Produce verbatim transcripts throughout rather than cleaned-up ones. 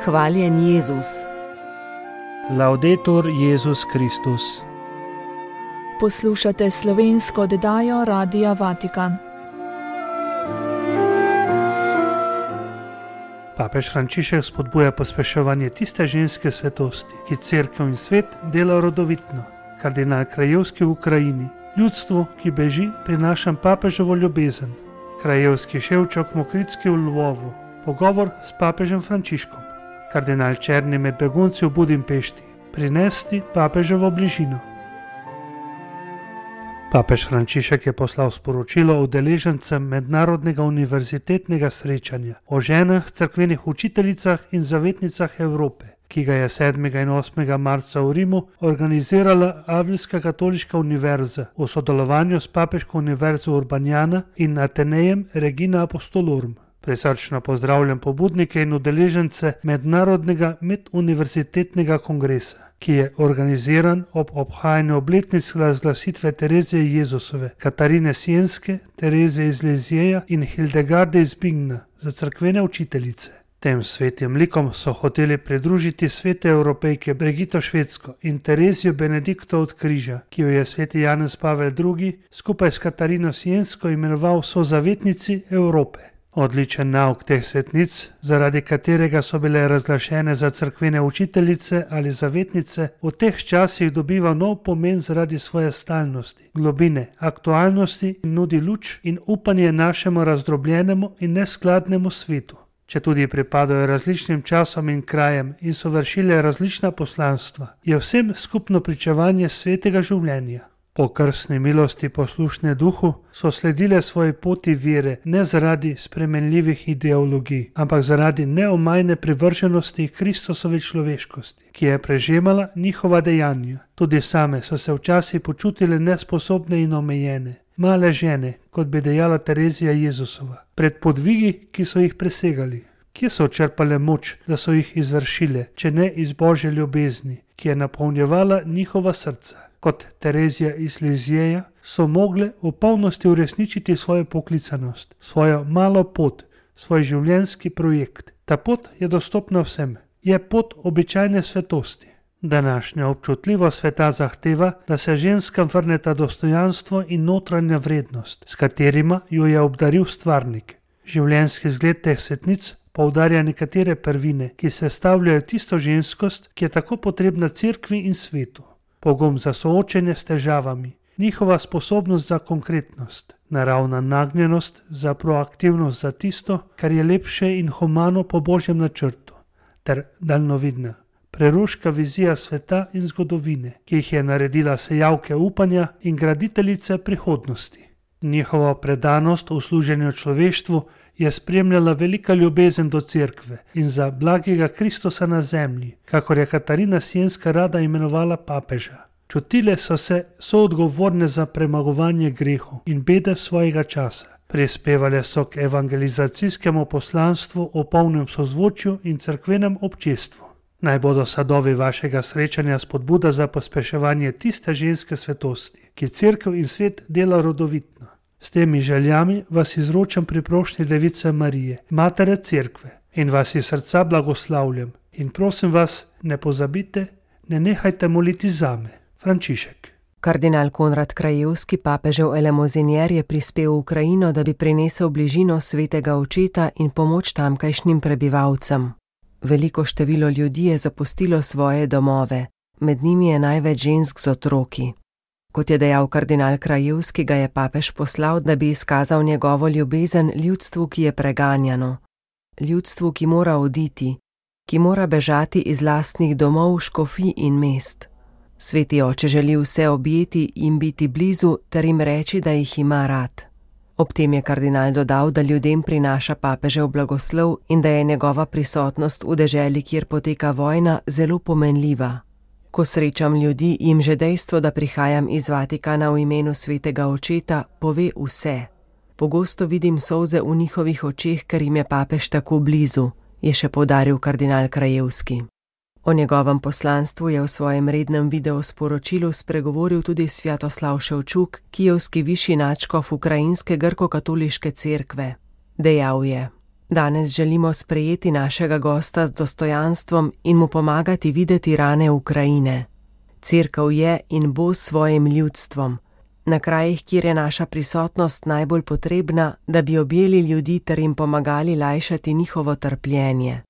Hvaljen Jezus. Laudetur Jezus Kristus. Poslušate slovensko oddajo Radia Vatikan. Papež Frančišek spodbuja pospeševanje tiste ženske svetosti, ki cerkev in svet dela rodovitno. Kardinal Krajevski v Ukrajini. Ljudstvu, ki beži, prinašam papeževo ljubezen. Krajevski Ševčok Mokritski v Lvovu. Pogovor s papežem Frančiškom. Kardinal Černi med begunci v Budimpešti. Prinesti papeževo bližino. Papež Frančišek je poslal sporočilo udeležencem mednarodnega univerzitetnega srečanja o ženah, cerkvenih učiteljicah in zavetnicah Evrope, ki ga je sedmega in osmega marca v Rimu organizirala Avljska katoliška univerza v sodelovanju s Papeško univerzo Urbanjana in Atenejem Regina Apostolorum. Prisrčno pozdravljam pobudnike in udeležence mednarodnega meduniverzitetnega kongresa, ki je organiziran ob obhajanju obletnic razglasitve Terezije Jezusove, Katarine Sienske, Terezije iz Lizjeja in Hildegarde iz Bingna za cerkvene učiteljice. Tem svetim likom so hoteli pridružiti svete Evropejke Brigito Švedsko in Terezijo Benedikto od Križa, ki jo je sveti Janez Pavel drugi skupaj s Katarino Siensko imenoval sozavetnici Evrope. Odličen nauk teh svetnic, zaradi katerega so bile razglašene za cerkvene učiteljice ali zavetnice, v teh časih dobiva nov pomen zaradi svoje stalnosti, globine, aktualnosti in nudi luč in upanje našemu razdrobljenemu in neskladnemu svetu. Če tudi pripadajo različnim časom in krajem in so vršile različna poslanstva, je vsem skupno pričevanje svetega življenja. Po krstni milosti poslušne duhu so sledile svoji poti vere ne zaradi spremenljivih ideologij, ampak zaradi neomajne privrženosti Kristusovi človeškosti, ki je prežemala njihova dejanja. Tudi same so se včasih počutile nesposobne in omejene, male žene, kot bi dejala Terezija Jezusova, pred podvigi, ki so jih presegali. Kje so črpale moč, da so jih izvršile, če ne iz Božje ljubezni, ki je napolnjevala njihova srca? Kot Terezija iz Lizjeja so mogle v polnosti uresničiti svojo poklicanost, svojo malo pot, svoj življenjski projekt. Ta pot je dostopna vsem. Je pot običajne svetosti. Današnja občutljivost sveta zahteva, da se ženskam vrneta dostojanstvo in notranja vrednost, s katerima jo je obdaril stvarnik. Življenjski zgled teh svetnic poudarja nekatere prvine, ki sestavljajo tisto ženskost, ki je tako potrebna cerkvi in svetu. Pogum za soočenje s težavami, njihova sposobnost za konkretnost, naravna nagnjenost za proaktivnost za tisto, kar je lepše in humano po Božjem načrtu, ter daljnovidna, preroška vizija sveta in zgodovine, ki jih je naredila sejavke upanja in graditeljice prihodnosti. Njihovo predanost v služenju človeštvu je spremljala velika ljubezen do cerkve in za blagega Kristusa na zemlji, kakor je Katarina Sienska rada imenovala papeža. Čutile so se soodgovorne za premagovanje grehov in bede svojega časa. Prispevale so k evangelizacijskemu poslanstvu o polnem sozvočju in cerkvenem občestvu. Naj bodo sadovi vašega srečanja spodbuda za pospeševanje tiste ženske svetosti, ki cerkev in svet dela rodovitno. S temi željami vas izročam pri prošnji Device Marije, Matere Cerkve, in vas iz srca blagoslavljam in prosim vas, ne pozabite, ne nehajte moliti zame. Frančišek. Kardinal Konrad Krajevski, papežev elemozinier, je prispel v Ukrajino, da bi prinesel bližino svetega očeta in pomoč tamkajšnjim prebivalcem. Veliko število ljudi je zapustilo svoje domove, med njimi je največ žensk z otroki. Kot je dejal kardinal Krajevski, ga je papež poslal, da bi izkazal njegovo ljubezen ljudstvu, ki je preganjano. Ljudstvu, ki mora oditi, ki mora bežati iz lastnih domov, škofij in mest. Sveti oče želi vse objeti in biti blizu ter jim reči, da jih ima rad. Ob tem je kardinal dodal, da ljudem prinaša papežev blagoslov in da je njegova prisotnost v deželi, kjer poteka vojna, zelo pomenljiva. Ko srečam ljudi, jim že dejstvo, da prihajam iz Vatikana v imenu svetega očeta, pove vse. Pogosto vidim solze v njihovih očeh, ker jim je papež tako blizu, je še poudaril kardinal Krajevski. O njegovem poslanstvu je v svojem rednem videosporočilu spregovoril tudi Svjatoslav Ševčuk, kijevski višji nadškof ukrajinske grko-katoliške cerkve. Dejal je: Danes želimo sprejeti našega gosta z dostojanstvom in mu pomagati videti rane Ukrajine. Cerkev je in bo s svojim ljudstvom, na krajih, kjer je naša prisotnost najbolj potrebna, da bi objeli ljudi ter jim pomagali lajšati njihovo trpljenje.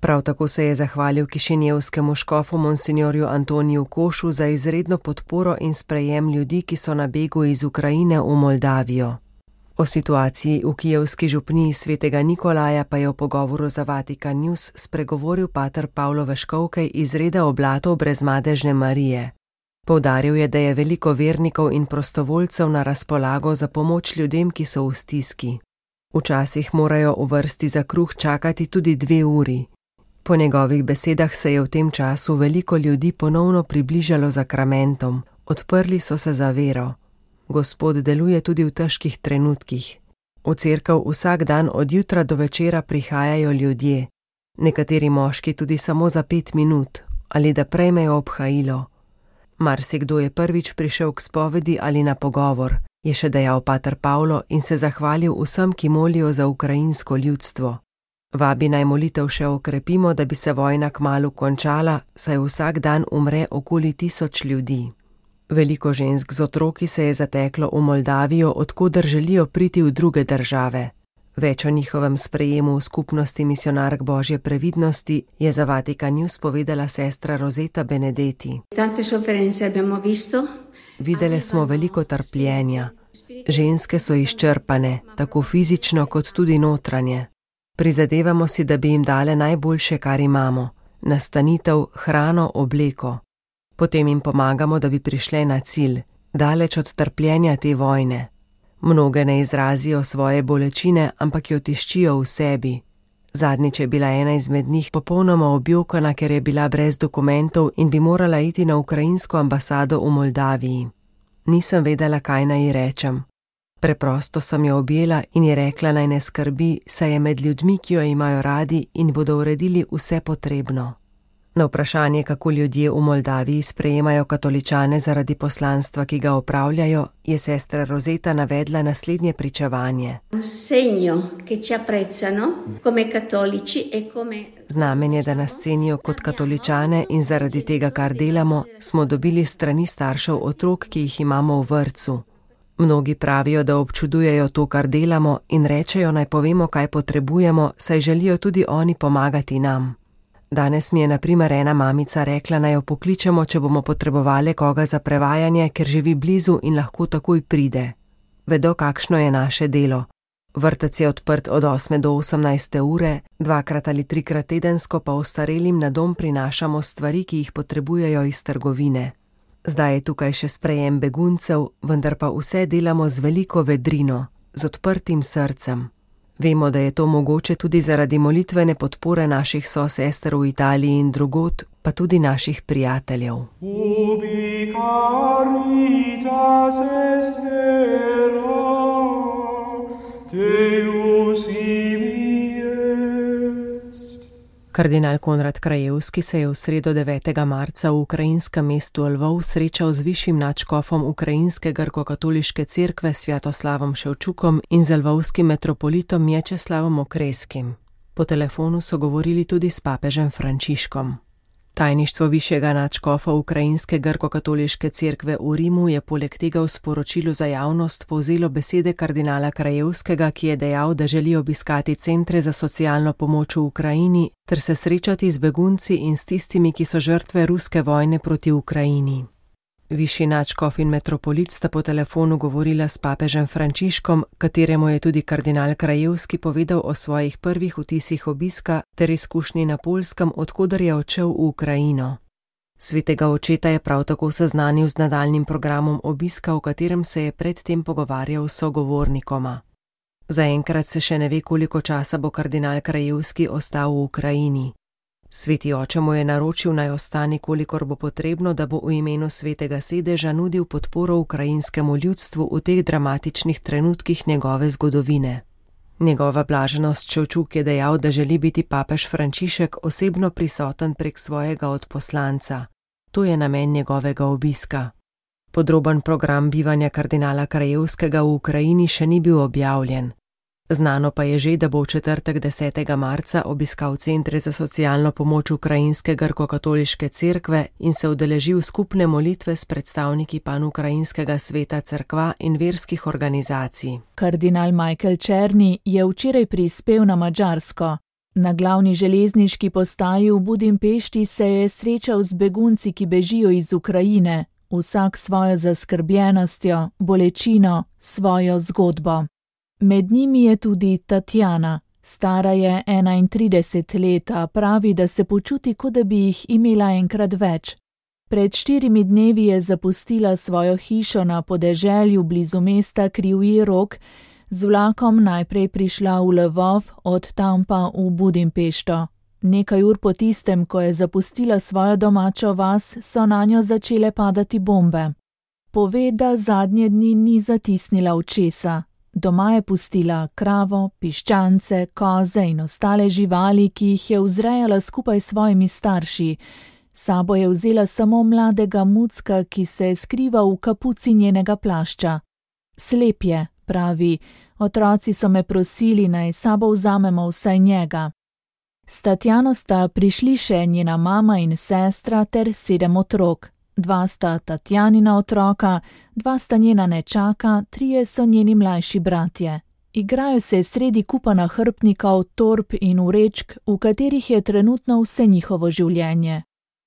Prav tako se je zahvalil kišinjevskemu škofu monsinjorju Antoniju Košu za izredno podporo in sprejem ljudi, ki so na begu iz Ukrajine v Moldavijo. O situaciji v kijevski župniji svetega Nikolaja pa je v pogovoru za Vatikan News spregovoril pater Pavlo Veškovkej iz reda oblatov Brezmadežne Marije. Poudaril je, da je veliko vernikov in prostovoljcev na razpolago za pomoč ljudem, ki so v stiski. Včasih morajo v vrsti za kruh čakati tudi dve uri. Po njegovih besedah se je v tem času veliko ljudi ponovno približalo zakramentom, odprli so se za vero. Gospod deluje tudi v težkih trenutkih. V cerkev vsak dan od jutra do večera prihajajo ljudje, nekateri moški tudi samo za pet minut, ali da prejmejo obhajilo. Marsikdo je prvič prišel k spovedi ali na pogovor, je še dejal pater Pavlo in se zahvalil vsem, ki molijo za ukrajinsko ljudstvo. Vabi naj molitev še okrepimo, da bi se vojna kmalu končala, saj vsak dan umre okoli tisoč ljudi. Veliko žensk z otroki se je zateklo v Moldavijo, odkoder želijo priti v druge države. Več o njihovem sprejemu v skupnosti misionark Božje previdnosti je za Vatikan News povedala sestra Rosetta Benedetti. Videli smo veliko trpljenja. Ženske so izčrpane, tako fizično kot tudi notranje. Prizadevamo si, da bi jim dale najboljše, kar imamo, nastanitev, hrano, obleko. Potem jim pomagamo, da bi prišle na cilj, daleč od trpljenja te vojne. Mnoge ne izrazijo svoje bolečine, ampak jo tiščijo v sebi. Zadnjič je bila ena izmed njih popolnoma objokana, ker je bila brez dokumentov in bi morala iti na ukrajinsko ambasado v Moldaviji. Nisem vedela, kaj naj ji rečem. Preprosto sem jo objela in ji rekla, naj ne skrbi, saj je med ljudmi, ki jo imajo radi in bodo uredili vse potrebno. Na vprašanje, kako ljudje v Moldaviji sprejemajo katoličane zaradi poslanstva, ki ga opravljajo, je sestra Rosetta navedla naslednje pričevanje. Znamenje, da nas cenijo kot katoličane in zaradi tega, kar delamo, smo dobili strani staršev otrok, ki jih imamo v vrtcu. Mnogi pravijo, da občudujejo to, kar delamo in rečejo, naj povemo, kaj potrebujemo, saj želijo tudi oni pomagati nam. Danes mi je na primer ena mamica rekla, naj jo pokličemo, če bomo potrebovali koga za prevajanje, ker živi blizu in lahko takoj pride. Vedo, kakšno je naše delo. Vrtec je odprt od osme do osemnajste ure, dvakrat ali trikrat tedensko pa ostarelim na dom prinašamo stvari, ki jih potrebujejo iz trgovine. Zdaj je tukaj še sprejem beguncev, vendar pa vse delamo z veliko vedrino, z odprtim srcem. Vemo, da je to mogoče tudi zaradi molitvene podpore naših sosester v Italiji in drugod, pa tudi naših prijateljev. Ubi caritas est vera, Deus ibi est. Kardinal Konrad Krajewski se je v sredo devetega marca v ukrajinskem mestu Lvov srečal z višjim nadškofom ukrajinske grko-katoliške cerkve Svjatoslavom Ševčukom in z lvovskim metropolitom Mječeslavom Okreskim. Po telefonu so govorili tudi s papežem Frančiškom. Tajništvo višjega nadškofa ukrajinske grko-katoliške cerkve v Rimu je poleg tega v sporočilu za javnost povzelo besede kardinala Krajewskega, ki je dejal, da želi obiskati centre za socialno pomoč v Ukrajini ter se srečati z begunci in s tistimi, ki so žrtve ruske vojne proti Ukrajini. Višji nadškof in metropolit sta po telefonu govorila s papežem Frančiškom, kateremu je tudi kardinal Krajewski povedal o svojih prvih vtisih obiska ter izkušnji na Poljskem, odkoder je odšel v Ukrajino. Svetega očeta je prav tako seznanil z nadaljnjim programom obiska, v katerem se je predtem pogovarjal s sogovornikoma. Zaenkrat se še ne ve, koliko časa bo kardinal Krajewski ostal v Ukrajini. Sveti oče mu je naročil, naj ostane, kolikor bo potrebno, da bo v imenu svetega sedeža nudil podporo ukrajinskemu ljudstvu v teh dramatičnih trenutkih njegove zgodovine. Njegova blaženost Ševčuk je dejal, da želi biti papež Frančišek osebno prisoten prek svojega odposlanca. To je namen njegovega obiska. Podroben program bivanja kardinala Krajewskega v Ukrajini še ni bil objavljen. Znano pa je že, da bo v četrtek desetega marca obiskal centre za socialno pomoč ukrajinske grko-katoliške cerkve in se udeležil skupne molitve s predstavniki panukrajinskega sveta cerkva in verskih organizacij. Kardinal Michael Černi je včeraj prispel na Madžarsko. Na glavni železniški postaji v Budimpešti se je srečal z begunci, ki bežijo iz Ukrajine, vsak svojo zaskrbljenostjo, bolečino, svojo zgodbo. Med njimi je tudi Tatjana. Stara je enaintrideset let, a pravi, da se počuti, kot da bi jih imela enkrat več. Pred štirimi dnevi je zapustila svojo hišo na podeželju blizu mesta Krivji Rog, z vlakom najprej prišla v Lvov, od tam pa v Budimpešto. Nekaj ur po tistem, ko je zapustila svojo domačo vas, so nanjo začele padati bombe. Pove, da zadnje dni ni zatisnila očesa. Doma je pustila kravo, piščance, koze in ostale živali, ki jih je vzrejala skupaj s svojimi starši. Sabo je vzela samo mladega mucka, ki se skriva v kapuci njenega plašča. Slep je, pravi, otroci so me prosili, naj sabo vzamemo vsaj njega. S Tatjano sta prišli še njena mama in sestra ter sedem otrok. Dva sta Tatjanina otroka, dva sta njena nečaka, trije so njeni mlajši bratje. Igrajo se sredi kupa nahrbtnikov, torb in vrečk, v katerih je trenutno vse njihovo življenje.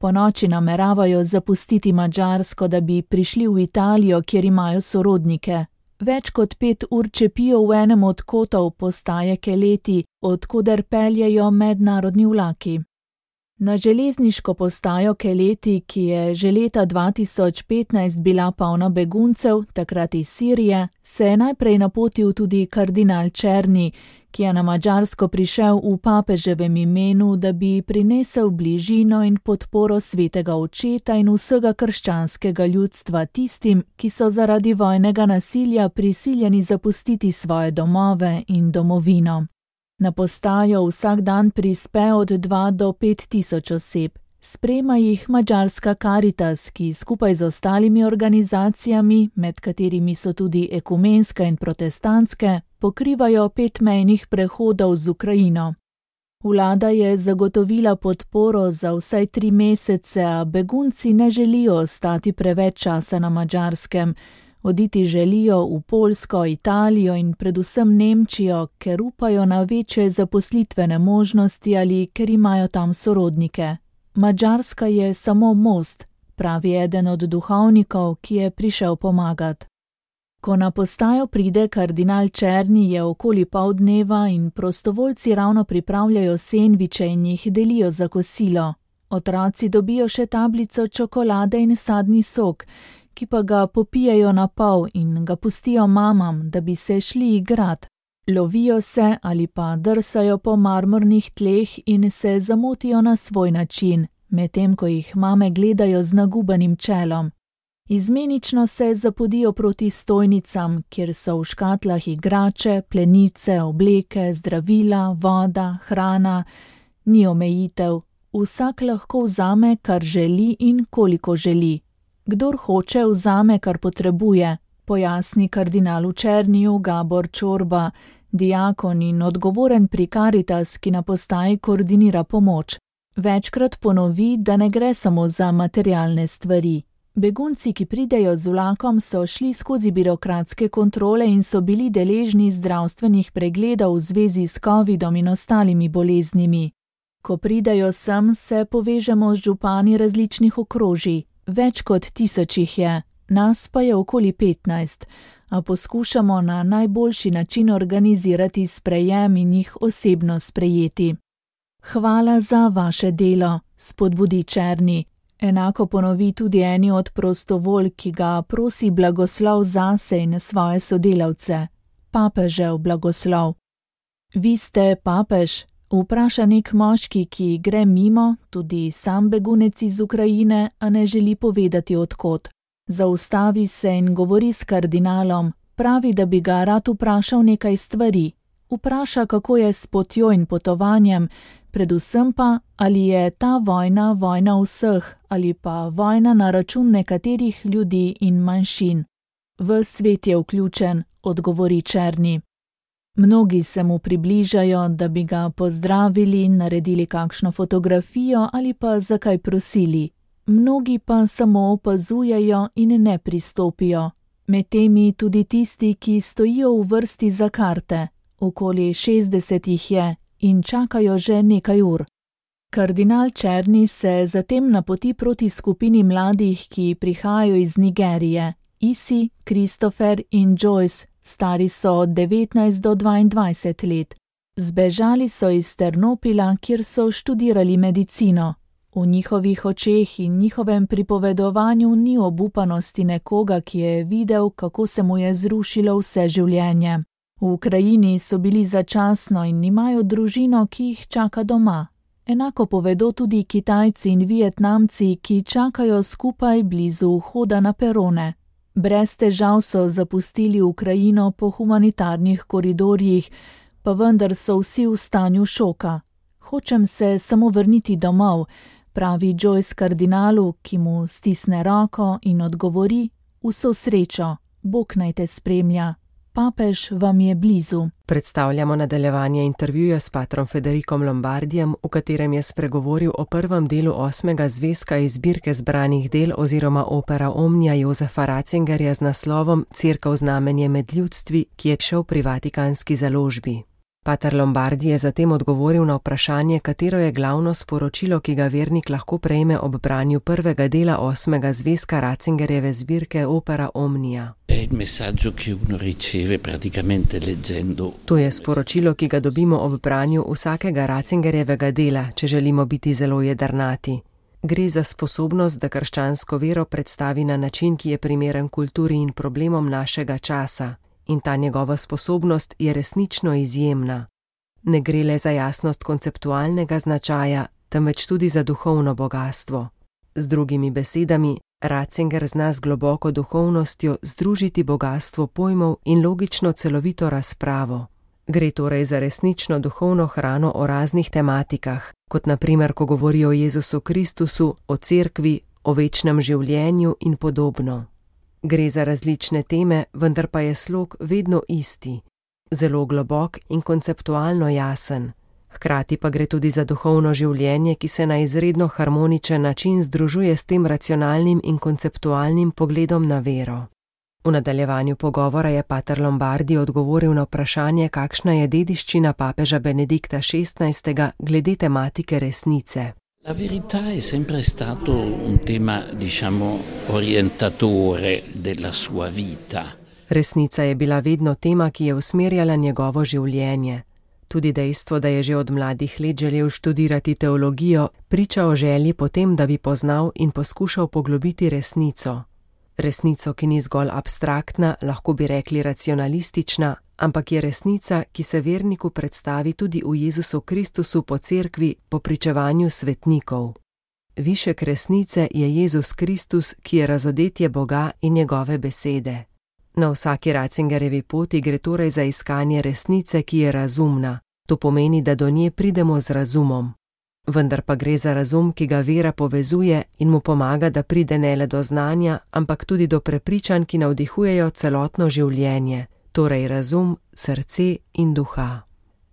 Ponoči nameravajo zapustiti Madžarsko, da bi prišli v Italijo, kjer imajo sorodnike. Več kot pet ur čepijo v enem od kotov postaje Keleti, odkuder peljejo mednarodni vlaki. Na železniško postajo Keleti, ki je že leta dva tisoč petnajst bila polna beguncev, takrat iz Sirije, se je najprej napotil tudi kardinal Černi, ki je na Madžarsko prišel v papeževem imenu, da bi prinesel bližino in podporo svetega očeta in vsega krščanskega ljudstva tistim, ki so zaradi vojnega nasilja prisiljeni zapustiti svoje domove in domovino. Na postajo vsak dan prispe od dva do pet tisoč oseb. Sprema jih Madžarska Karitas, ki skupaj z ostalimi organizacijami, med katerimi so tudi ekumenske in protestantske, pokrivajo pet mejnih prehodov z Ukrajino. Vlada je zagotovila podporo za vsaj tri mesece, a begunci ne želijo ostati preveč časa na Madžarskem. Oditi želijo v Poljsko, Italijo in predvsem Nemčijo, ker upajo na večje zaposlitvene možnosti ali ker imajo tam sorodnike. Madžarska je samo most, pravi eden od duhovnikov, ki je prišel pomagat. Ko na postajo pride kardinal Černi, je okoli pol dneva in prostovoljci ravno pripravljajo sendviče in jih delijo za kosilo. Otroci dobijo še tablico čokolade in sadni sok, ki pa ga popijejo na pol in ga pustijo mamam, da bi se šli igrat. Lovijo se ali pa drsajo po marmornih tleh in se zamotijo na svoj način, medtem ko jih mame gledajo z nagubanim čelom. Izmenično se zapodijo proti stojnicam, kjer so v škatlah igrače, plenice, obleke, zdravila, voda, hrana. Ni omejitev, vsak lahko vzame, kar želi in koliko želi. Kdor hoče, vzame, kar potrebuje, pojasni kardinalu Černiju Gabor Čorba, diakon in odgovoren pri Karitas, ki na postaji koordinira pomoč. Večkrat ponovi, da ne gre samo za materialne stvari. Begunci, ki pridejo z vlakom, so šli skozi birokratske kontrole in so bili deležni zdravstvenih pregledov v zvezi s covidom in ostalimi boleznimi. Ko pridejo sem, se povežemo z župani različnih okrožij. Več kot tisoč jih je, nas pa je okoli petnajst, a poskušamo na najboljši način organizirati sprejem in jih osebno sprejeti. Hvala za vaše delo, spodbudi Černi. Enako ponovi tudi eni od prostovolj, ki ga prosi blagoslov zase in svoje sodelavce. Papežev blagoslov. Vi ste papež? Vpraša nek moški, ki gre mimo, tudi sam begunec iz Ukrajine, a ne želi povedati odkot. Zaustavi se in govori s kardinalom, pravi, da bi ga rad vprašal nekaj stvari. Vpraša, kako je s potjo in potovanjem, predvsem pa, ali je ta vojna vojna vseh ali pa vojna na račun nekaterih ljudi in manjšin. Ves svet je vključen, odgovori Černi. Mnogi se mu približajo, da bi ga pozdravili, naredili kakšno fotografijo ali pa za kaj prosili. Mnogi pa samo opazujejo in ne pristopijo. Med temi tudi tisti, ki stojijo v vrsti za karte. Okoli šestdeset jih je in čakajo že nekaj ur. Kardinal Černi se zatem napoti proti skupini mladih, ki prihajajo iz Nigerije. Isi, Christopher in Joyce, stari so od devetnajst do dvaindvajset let. Zbežali so iz Ternopila, kjer so študirali medicino. V njihovih očeh in njihovem pripovedovanju ni obupanosti nekoga, ki je videl, kako se mu je zrušilo vse življenje. V Ukrajini so bili začasno in imajo družino, ki jih čaka doma. Enako povedo tudi Kitajci in Vietnamci, ki čakajo skupaj blizu vhoda na perone. Brez težav so zapustili Ukrajino po humanitarnih koridorjih, pa vendar so vsi v stanju šoka. Hočem se samo vrniti domov, pravi Joyce kardinalu, ki mu stisne roko in odgovori: vso srečo, Bog naj te spremlja. Papež vam je blizu. Predstavljamo nadaljevanje intervjuja s patrom Federikom Lombardijem, v katerem je spregovoril o prvem delu osmega zvezka iz zbirke zbranih del oziroma opera Omnia Josefa Ratzingerja z naslovom Cerkev znamenje med ljudstvi, ki je šel pri vatikanski založbi. Pater Lombardi je zatem odgovoril na vprašanje, katero je glavno sporočilo, ki ga vernik lahko prejme ob branju prvega dela osmega zvezka Ratzingerjeve zbirke opera Omnia. To je sporočilo, ki ga dobimo ob branju vsakega Ratzingerjevega dela, če želimo biti zelo jedrnati. Gre za sposobnost, da krščansko vero predstavi na način, ki je primeren kulturi in problemom našega časa. In ta njegova sposobnost je resnično izjemna. Ne gre le za jasnost konceptualnega značaja, temveč tudi za duhovno bogatstvo. Z drugimi besedami, Ratzinger zna z globoko duhovnostjo združiti bogatstvo pojmov in logično celovito razpravo. Gre torej za resnično duhovno hrano o raznih tematikah, kot na primer, ko govori o Jezusu Kristusu, o cerkvi, o večnem življenju in podobno. Gre za različne teme, vendar pa je slog vedno isti, zelo globok in konceptualno jasen. Hkrati pa gre tudi za duhovno življenje, ki se na izredno harmoničen način združuje s tem racionalnim in konceptualnim pogledom na vero. V nadaljevanju pogovora je pater Lombardi odgovoril na vprašanje, kakšna je dediščina papeža Benedikta šestnajstega glede tematike resnice. La verità è sempre stato un tema, diciamo, orientatore della sua vita. Resnica je bila vedno tema, ki je usmerjala njegovo življenje. Tudi dejstvo, da je že od mladih let želel študirati teologijo, priča o želji potem, da bi poznal in poskušal poglobiti resnico. Resnico, ki ni zgolj abstraktna, lahko bi rekli racionalistična, ampak je resnica, ki se verniku predstavi tudi v Jezusu Kristusu po cerkvi, po pričevanju svetnikov. Višek resnice je Jezus Kristus, ki je razodetje Boga in njegove besede. Na vsaki Ratzingerjevi poti gre torej za iskanje resnice, ki je razumna. To pomeni, da do nje pridemo z razumom. Vendar pa gre za razum, ki ga vera povezuje in mu pomaga, da pride ne le do znanja, ampak tudi do prepričanj, ki navdihujejo celotno življenje, torej razum, srce in duha.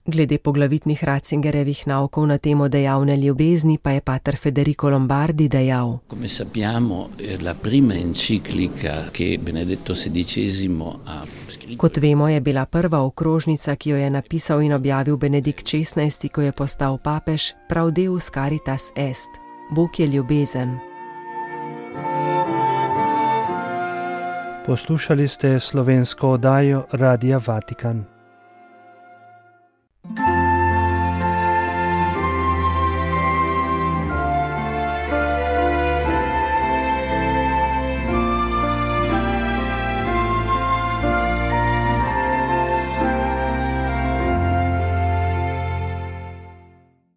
Glede poglavitnih Ratzingerjevih naukov na temo dejavne ljubezni pa je pater Federico Lombardi dejal. Come sappiamo, la prima enciclica che Benedetto sedicesimo ha scritto. Kot vemo, je bila prva okrožnica, ki jo je napisal in objavil Benedikt šestnajsti, ko je postal papež, prav Deus Caritas Est, Bog je ljubezen. Poslušali ste slovensko oddajo Radia Vatikan.